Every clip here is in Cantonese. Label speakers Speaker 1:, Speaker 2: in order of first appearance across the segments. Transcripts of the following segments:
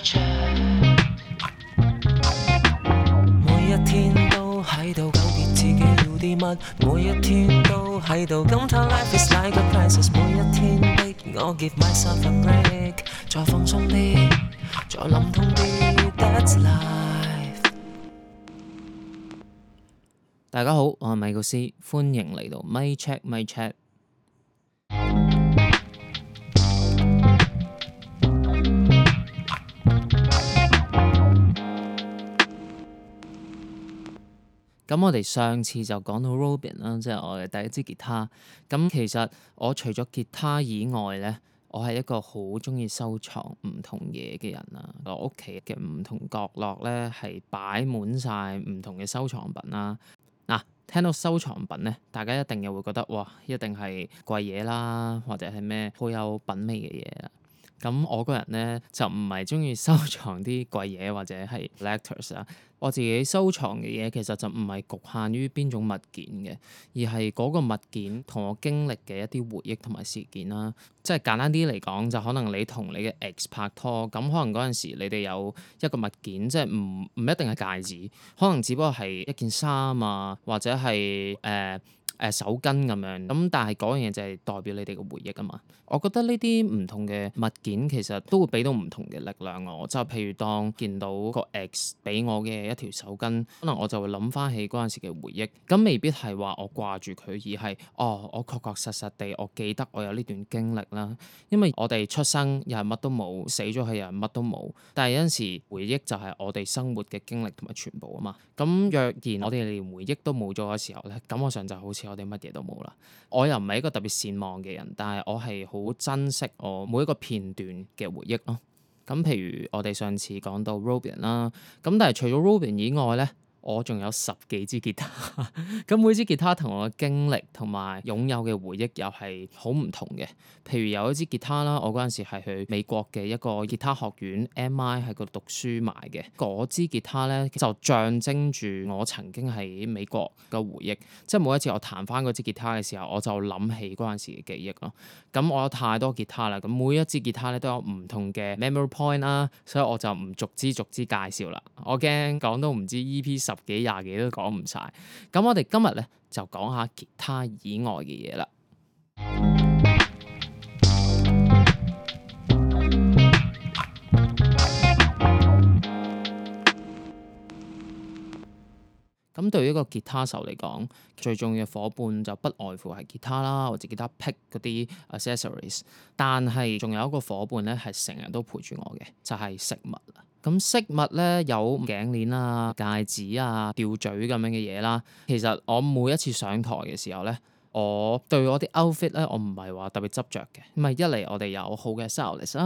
Speaker 1: 每一天都喺度糾結自己要啲乜，每一天都喺度感嘆 life is like a crisis， 每一天逼我 give myself a break， 再放鬆啲，再諗通啲 ，that's life。大家好，我係米高斯，歡迎嚟到咪 check 咪 check。咁我哋上次就講到 Robin 啦，即係我嘅第一支吉他。咁其實我除咗吉他以外咧，我係一個好中意收藏唔同嘢嘅人啦。我屋企嘅唔同角落咧係擺滿晒唔同嘅收藏品啦。嗱，聽到收藏品咧，大家一定又會覺得哇，一定係貴嘢啦，或者係咩好有品味嘅嘢啦。咁我個人咧就唔係中意收藏啲貴嘢或者係 collectors 啊。我自己收藏嘅嘢其實就唔係局限於邊種物件嘅，而係嗰個物件同我經歷嘅一啲回憶同埋事件啦。即係簡單啲嚟講，就可能你同你嘅 ex 拍拖，咁可能嗰陣時你哋有一個物件，即係唔一定係戒指，可能只不過係一件衫啊，或者係手巾咁樣。咁但係嗰樣嘢就係代表你哋嘅回憶啊嘛。我覺得呢啲唔同嘅物件其實都會俾到唔同嘅力量我。就譬如當見到個 ex 俾我嘅一條手巾，可能我就會諗翻起嗰陣時嘅回憶。咁未必係話我掛住佢，而係我確確實實地我記得我有呢段經歷啦。因為我哋出生又係乜都冇，死咗去又係乜都冇。但係有陣時回憶就係我哋生活嘅經歷同埋全部啊嘛。咁若然我哋連回憶都冇咗嘅時候咧，感覺上就好似我哋乜嘢都冇啦。我又唔係一個特別善忘嘅人，但係我係好珍惜我每一個片段嘅回憶咯。咁譬如我哋上次講到 Robin 啦，咁但係除咗 Robin 以外咧，我仲有10幾支吉他。咁每支吉他同我嘅經歷同埋擁有嘅回憶又係好唔同嘅。譬如有一支吉他啦，我嗰陣時係去美國嘅一個吉他學院 MI 喺嗰度讀書買嘅。嗰支吉他咧就象徵住我曾經喺美國嘅回憶。即係每一次我彈翻嗰支吉他嘅時候，我就諗起嗰陣時嘅記憶咯。咁我有太多吉他啦，咁每一支吉他咧都有唔同嘅 memory point 啦，所以我就唔逐支介紹啦。我驚講到唔知 EP 10幾20幾都講唔晒。咁我哋今日咧就講下吉他以外嘅嘢啦。咁對於一個吉他手嚟講，最重要嘅夥伴就不外乎係吉他啦，或者吉他 pick 嗰啲 accessories。但係仲有一個夥伴咧，係成日都陪住我嘅，就係飾物啦。咁飾物咧有頸鏈啊、戒指啊、吊墜咁樣嘅嘢啦。其實我每一次上台嘅時候咧，我對我啲 outfit 咧，我唔係話特別執着嘅。咁啊，一嚟我哋有好嘅 stylist 啦，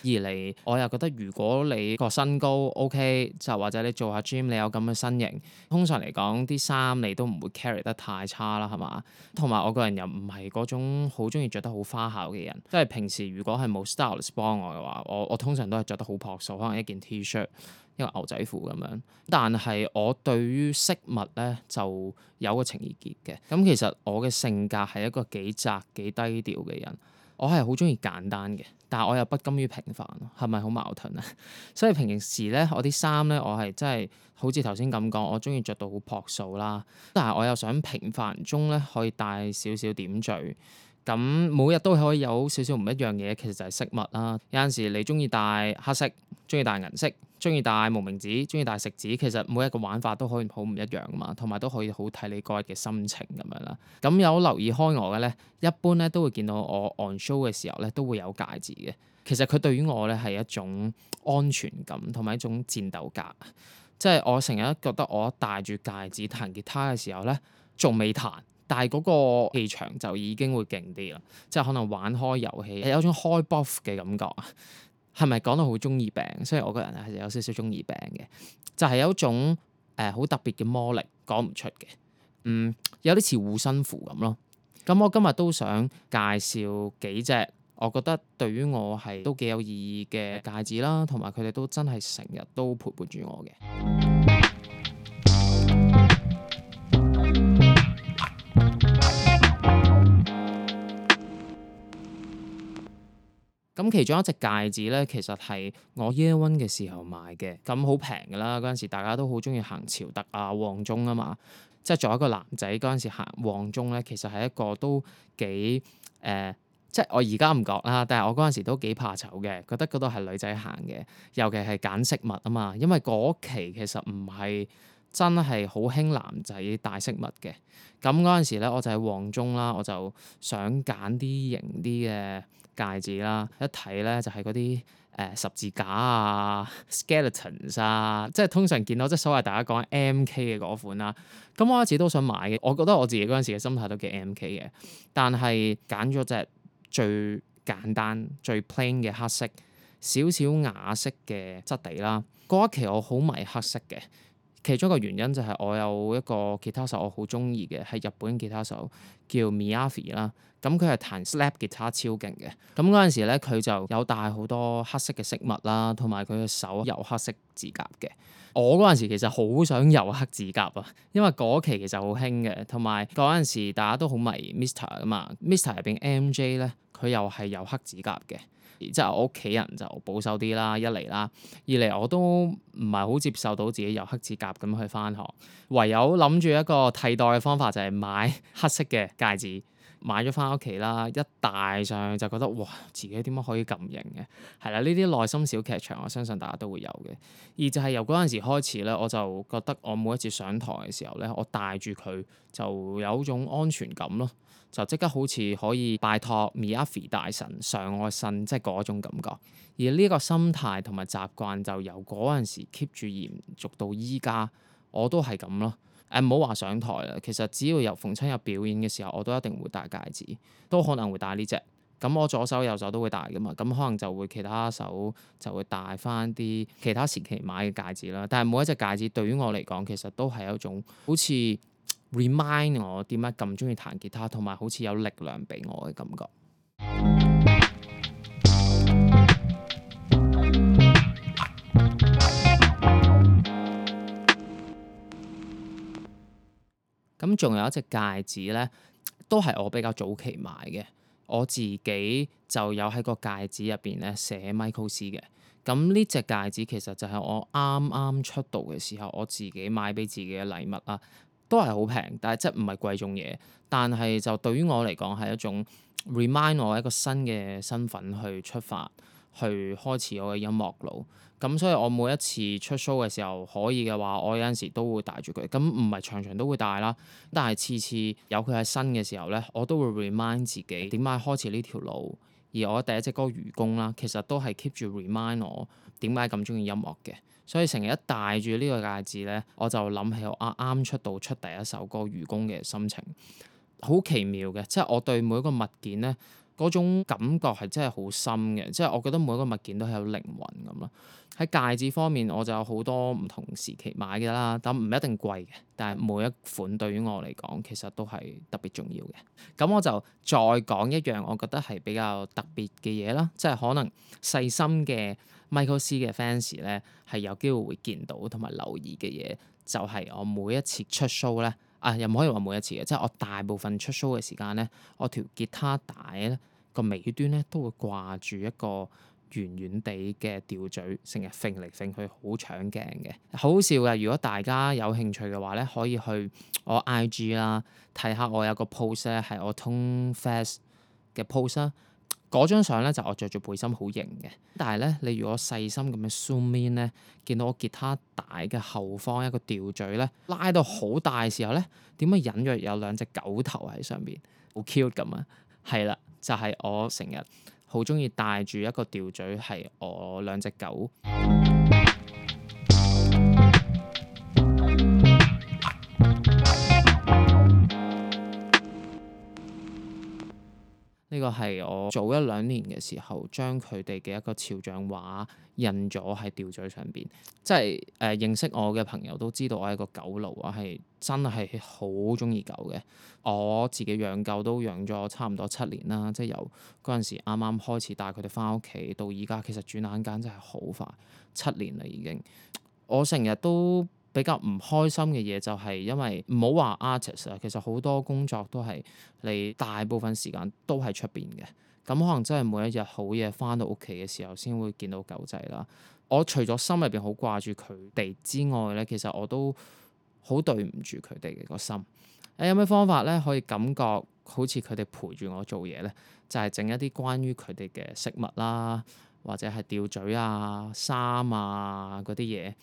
Speaker 1: 二嚟我又覺得如果你個身高 OK，就或者你做下 gym 你有咁嘅身形，通常嚟講啲衫你都唔會 carry 得太差啦，係嘛？同埋我個人又唔係嗰種好中意着得好花巧嘅人，即係平時如果係冇 stylist 幫我嘅話，我通常都係着得好樸素，可能一件 T-shirt。一個牛仔褲咁樣，但係我對於飾物咧就有個情意結嘅。咁其實我嘅性格係一個幾宅幾低調嘅人，我係好中意簡單嘅，但係我又不甘於平凡，係咪好矛盾啊？所以平時咧我啲衫咧我係真係好似頭先咁講，我中意着到好樸素啦，但係我又想平凡中咧可以帶少少點綴。咁每日都可以有少少唔一樣嘢，其實就係飾物啦。有陣時你中意戴黑色，中意戴銀色，中意戴無名指，中意戴食指，其實每一個玩法都可以好唔一樣噶嘛，同埋都可以好睇你嗰日嘅心情咁樣啦。咁有留意開我嘅咧，一般咧都會見到我 on show 嘅時候咧都會有戒指嘅。其實佢對於我咧係一種安全感同埋一種戰鬥格。即係我成日覺得我戴住戒指彈吉他嘅時候咧，仲未彈。但係嗰個氣場就已經會勁啲啦，即係可能玩開遊戲有種開 buff 嘅感覺啊，係咪講到好中二病？所以我個人係有少少中二病嘅，就係有一種好特別嘅魔力，講唔出嘅，有啲似護身符咁咯。咁我今日都想介紹幾隻我覺得對於我係都幾有意義嘅戒指啦，同埋佢哋都真係成日都陪伴住我嘅。咁其中一隻戒指咧，其實係我 Year One 嘅時候買嘅，咁好平㗎啦。嗰陣時大家都好中意行潮特啊、旺中啊嘛。即係作為一個男仔嗰陣時行旺中咧，其實係一個都幾即係我而家唔覺啦，但係我嗰陣時都幾怕醜嘅，覺得嗰度係女仔行嘅，尤其係揀飾物啊嘛。因為嗰期其實唔係真係好興男仔戴飾物嘅。咁嗰陣時咧，我就喺旺中啦，我就想揀啲型啲嘅戒指啦，一睇咧就係嗰啲十字架啊、skeletons 啊，即係通常見到即係所謂大家講 MK 嘅嗰款啦。咁我一直都想買嘅，我覺得我自己嗰陣時嘅心態都幾 MK 嘅，但係揀咗隻最簡單、最 plain 嘅黑色，少少啞色嘅質地啦。嗰一期我好迷黑色嘅。其中一個原因就係我有一個吉他手我好中意嘅，係日本吉他手叫 Miyavi 啦。咁佢係彈 slap 吉他超勁嘅。咁嗰陣時咧，佢就有戴好多黑色嘅飾物啦，同埋佢嘅手油黑色指甲嘅。我嗰陣時其實好想油黑指甲啊，因為嗰期其實好興嘅，同埋嗰陣時大家都好迷 Mr. 噶嘛。Mr. 入邊 MJ 咧，佢又係油黑指甲嘅。即係我屋企人就保守啲啦，一嚟啦，二嚟我都唔係好接受到自己油黑指甲咁去返學，唯有諗住一個替代嘅方法就係買黑色嘅戒指，買咗返屋企啦，一戴上就覺得哇，自己點解可以咁型嘅？係啦，呢啲內心小劇場，我相信大家都會有嘅。而就係由嗰陣時開始咧，我就覺得我每一次上台嘅時候咧，我戴住佢就有種安全感咯。就即刻好似可以拜託 Miyavi 大神上我身，即係嗰種感覺。而呢個心態同埋習慣就由嗰陣時 keep 住延續到依家，我都係咁咯。唔好話上台啦，其實只要由逢親有表演嘅時候，我都一定會戴戒指，都可能會戴呢隻。咁我左手右手都會戴㗎嘛，咁可能就會其他手就會戴返啲其他時期買嘅戒指啦。但係每一隻戒指對於我嚟講，其實都係一種好似 remind 我點解咁中意彈吉他，同埋好似有力量俾我嘅感覺。咁仲有一隻戒指咧，都係我比較早期買嘅。我自己就有喺個戒指入邊咧寫 Michael C 嘅。咁呢隻戒指其實就係我啱啱出道嘅時候，我自己買俾自己嘅禮物啦，都係好平，但係即係唔係貴重嘢。但係就對於我嚟講係一種 remind 我一個新嘅身份去出發，去開始我嘅音樂路。咁所以我每一次出 show 嘅時候，可以嘅話，我有陣時都會帶住佢。咁唔係場場都會帶啦，但係次次有佢喺身嘅時候咧，我都會 remind 自己點解開始呢條路。而我第一隻歌《愚公》啦，其實都係 keep 住 remind 我點解咁中意音樂嘅。所以成日一戴住呢個戒指咧，我就諗起我啱出道出第一首歌《愚公》嘅心情，好奇妙嘅。即係我對每一個物件咧，嗰種感覺係真係好深嘅。即係我覺得每一個物件都係有靈魂咁咯。喺戒指方面，我就有好多唔同時期買嘅啦，但唔一定貴嘅。但係每一款對於我嚟講，其實都係特別重要嘅。咁我就再講一樣我覺得係比較特別嘅嘢啦，即係可能細心嘅 Michael C 嘅 fans 咧係有機會會見到同埋留意嘅嘢，就係我每一次出 show 咧，又唔可以話每一次嘅，即係我大部分出 show 嘅時間咧，我條吉他帶咧個尾端咧都會掛住一個圓圓地嘅吊墜，成日揈嚟揈去，好搶鏡嘅，好好笑嘅。如果大家有興趣嘅話咧，可以去我 IG 啦，睇下我有個 post 咧係我 Tone Fest 嘅 post 啦。嗰張相咧就我着住背心好型嘅，但係咧你如果細心咁樣 zoom in 咧，見到我吉他帶嘅後方一個吊墜咧拉到好大嘅時候咧，點解隱約有兩隻狗頭喺上邊，好 cute 咁啊？係啦，就係我成日好中意戴住一個吊墜，係我兩隻狗。呢個係我早一兩年嘅時候，將佢哋嘅一個肖像畫印咗喺吊墜上邊。即係認識我嘅朋友都知道我係個狗奴，我係真係好中意狗嘅。我自己養狗都養咗差唔多7年啦，即係由嗰陣時啱啱開始帶佢哋返屋企到依家，其實轉眼間真係好快7年啦已經。我成日都比較唔開心嘅嘢就係因為唔好話 artist 啊，其實好多工作都係你大部分時間都喺出邊嘅。咁可能真係每一日好夜翻到屋企嘅時候先會見到狗仔啦。我除咗心入邊好掛住佢哋之外咧，其實我都好對唔住佢哋嘅個心。有咩方法咧可以感覺好似佢哋陪住我做嘢咧？就係整一啲關於佢哋嘅飾物啦，或者係吊墜啊、衫啊嗰啲嘢。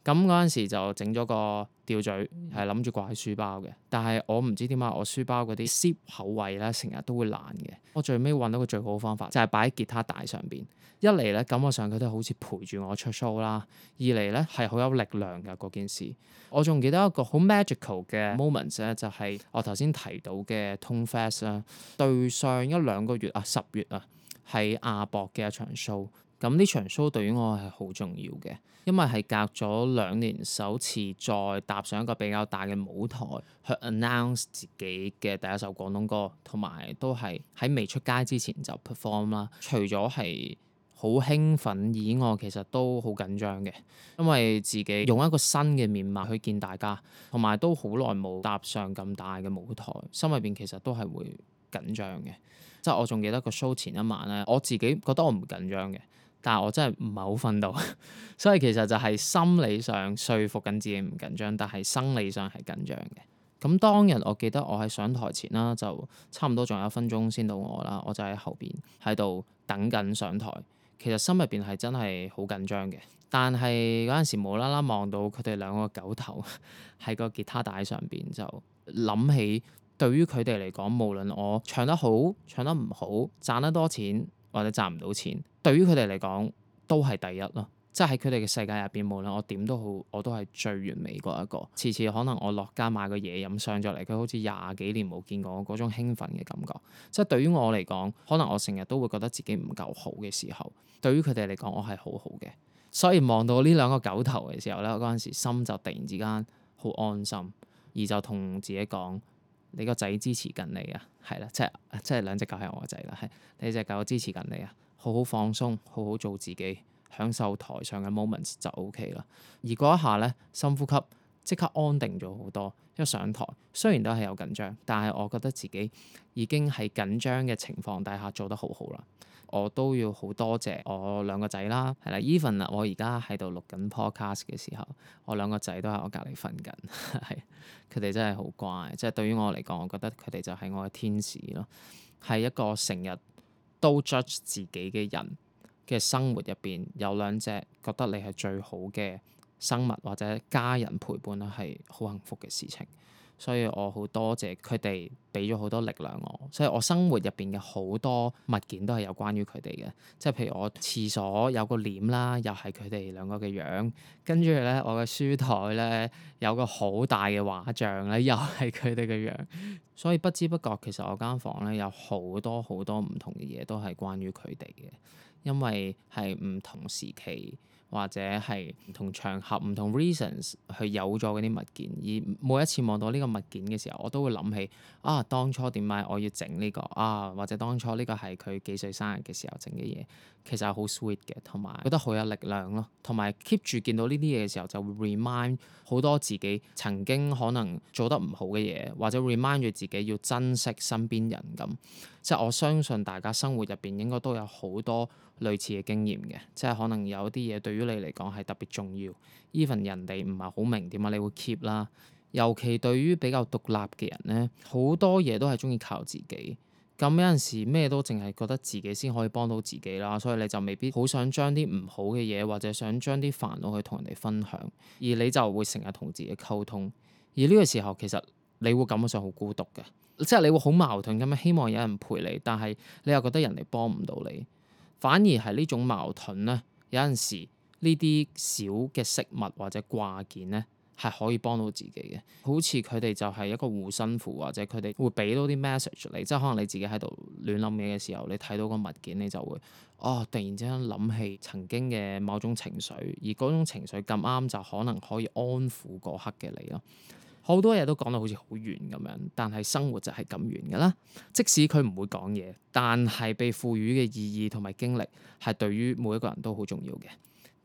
Speaker 1: 咁嗰陣時就整咗個吊墜，係諗住掛喺書包嘅。但係我唔知點解我書包嗰啲 zip 口位咧，成日都會爛嘅。我最尾揾到個最好嘅方法，就係擺喺吉他帶上邊。一嚟咧感覺上佢都好似陪住我出 show 啦；二嚟咧係好有力量㗎嗰件事。我仲記得一個好 magical 嘅 moment 咧，就係我頭先提到嘅 Tone Fest 啦。對上一兩個月啊，10月啊，喺亞博嘅一場 show。咁呢場 show 對於我係好重要嘅，因為係隔咗2年首次再踏上一個比較大嘅舞台去 announce 自己嘅第一首廣東歌，同埋都係喺未出街之前就 perform 啦。除咗係好興奮以外，其實都好緊張嘅，因為自己用一個新嘅面貌去見大家，同埋都好耐冇踏上咁大嘅舞台，心入邊其實都係會緊張嘅。即係我仲記得個 show 前一晚咧，我自己覺得我唔緊張嘅。但係我真係唔係好瞓到，所以其實就係心理上說服緊自己唔緊張，但係生理上係緊張嘅。咁當日我記得我喺上台前啦，就差唔多仲有1分鐘先到我啦，我就喺後邊喺度等緊上台。其實心入邊係真係好緊張嘅，但係嗰陣時無啦啦望到佢哋兩個狗頭喺個吉他帶上邊，就諗起對於佢哋嚟講，無論我唱得好唱得唔好，賺得多錢或者賺唔到錢，對於佢哋嚟講都係第一咯。即係喺佢哋嘅世界入邊，無論我點都好，我都係最完美嗰一個。次次可能我落街買個嘢飲上咗嚟，佢好似20幾年冇見過我嗰種興奮嘅感覺。即係對於我嚟講，可能我成日都會覺得自己唔夠好嘅時候，對於佢哋嚟講，我係好好嘅。所以望到呢兩個狗頭嘅時候咧，嗰陣時心就突然之間好安心，而就同自己講：你個仔支持緊你啊，係啦，即係兩隻狗係我個仔啦，係你隻狗支持緊你啊，好好放鬆，好好做自己。享受台上嘅 moments 就 OK 啦，而嗰一下咧，深呼吸即刻安定咗好多。一上台雖然都係有緊張，但係我覺得自己已經喺緊張嘅情況底下做得好好啦。我都要好多謝我兩個仔啦，係啦，even 啦，我而家喺度錄緊 podcast 嘅時候，我兩個仔都喺我隔離瞓緊，係佢哋真係好乖。即係對於我嚟講，我覺得佢哋就係我嘅天使咯，係一個成日都 judge 自己嘅人嘅生活入邊有2隻覺得你係最好嘅生物或者家人陪伴啦，係好幸福嘅事情。所以我好多謝佢哋俾咗好多力量我，所以我生活入邊嘅好多物件都係有關於佢哋嘅。即係譬如我廁所有個簾啦，又係佢哋兩個嘅樣，跟住咧我嘅書台咧有個好大嘅畫像咧，又係佢哋嘅樣。所以不知不覺其實我間房咧有好多好多唔同嘅嘢都係關於佢哋嘅。因為係唔同時期或者係唔同場合、唔同 reasons 去有咗嗰啲物件，而每一次望到呢個物件嘅時候，我都會諗起啊，當初點解我要整呢個啊，或者當初呢個係佢幾歲生日嘅時候整嘅嘢，其實係好 sweet 嘅，同埋覺得好有力量咯，同埋 keep 住見到呢啲嘢嘅時候，就會 remind 好多自己曾經可能做得唔好嘅嘢，或者 remind 住自己要珍惜身邊人咁。即係我相信大家生活入邊應該都有好多類似嘅經驗嘅，即係可能有啲嘢對於你嚟講係特別重要，even 人哋唔係好明點解你會 keep 啦。尤其對於比較獨立嘅人咧，好多嘢都係中意靠自己。咁有陣時咩都淨係覺得自己先可以幫到自己啦，所以你就未必好想將啲唔好嘅嘢或者想將啲煩惱去同人哋分享，而你就會成日同自己溝通。而呢個時候其實你會感覺上好孤獨嘅。即係你會好矛盾咁樣，希望有人陪你，但係你又覺得人哋幫唔到你，反而係呢種矛盾咧。有陣時呢啲小嘅飾物或者掛件咧，係可以幫到自己嘅。好似佢哋就係一個護身符，或者佢哋會俾到啲 message 你。即係可能你自己喺度亂諗嘢嘅時候，你睇到個物件，你就會突然之間諗起曾經嘅某種情緒，而嗰種情緒咁啱就可能可以安撫嗰刻嘅你咯。好多嘢都講到好似好遠咁樣，但係生活就係咁遠㗎啦。即使佢唔會講嘢，但係被賦予嘅意義同埋經歷係對於每一個人都好重要嘅。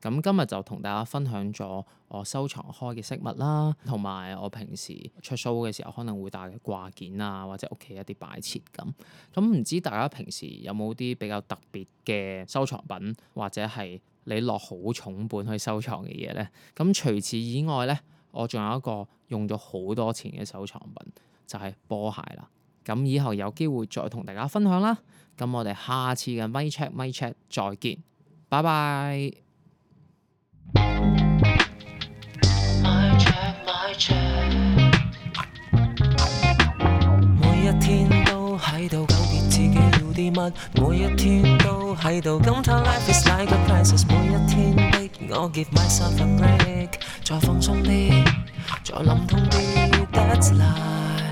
Speaker 1: 咁今日就同大家分享咗我收藏開嘅飾物啦，同埋我平時出 show 嘅時候可能會帶嘅掛件啊，或者屋企一啲擺設咁。咁唔知大家平時有冇啲比較特別嘅收藏品，或者係你落好重本去收藏嘅嘢咧？咁除此以外咧，我仲有一個用咗好多錢嘅收藏品，就係波鞋啦。咁以後有機會再同大家分享啦。咁我哋下次嘅咪 check 再見，拜拜。
Speaker 2: 每一天都喺度糾結自己要啲乜，每一天都喺度感嘆 life is like a crisis， 每一天逼我 give myself a break， 再放鬆啲，再諗通啲 that's life。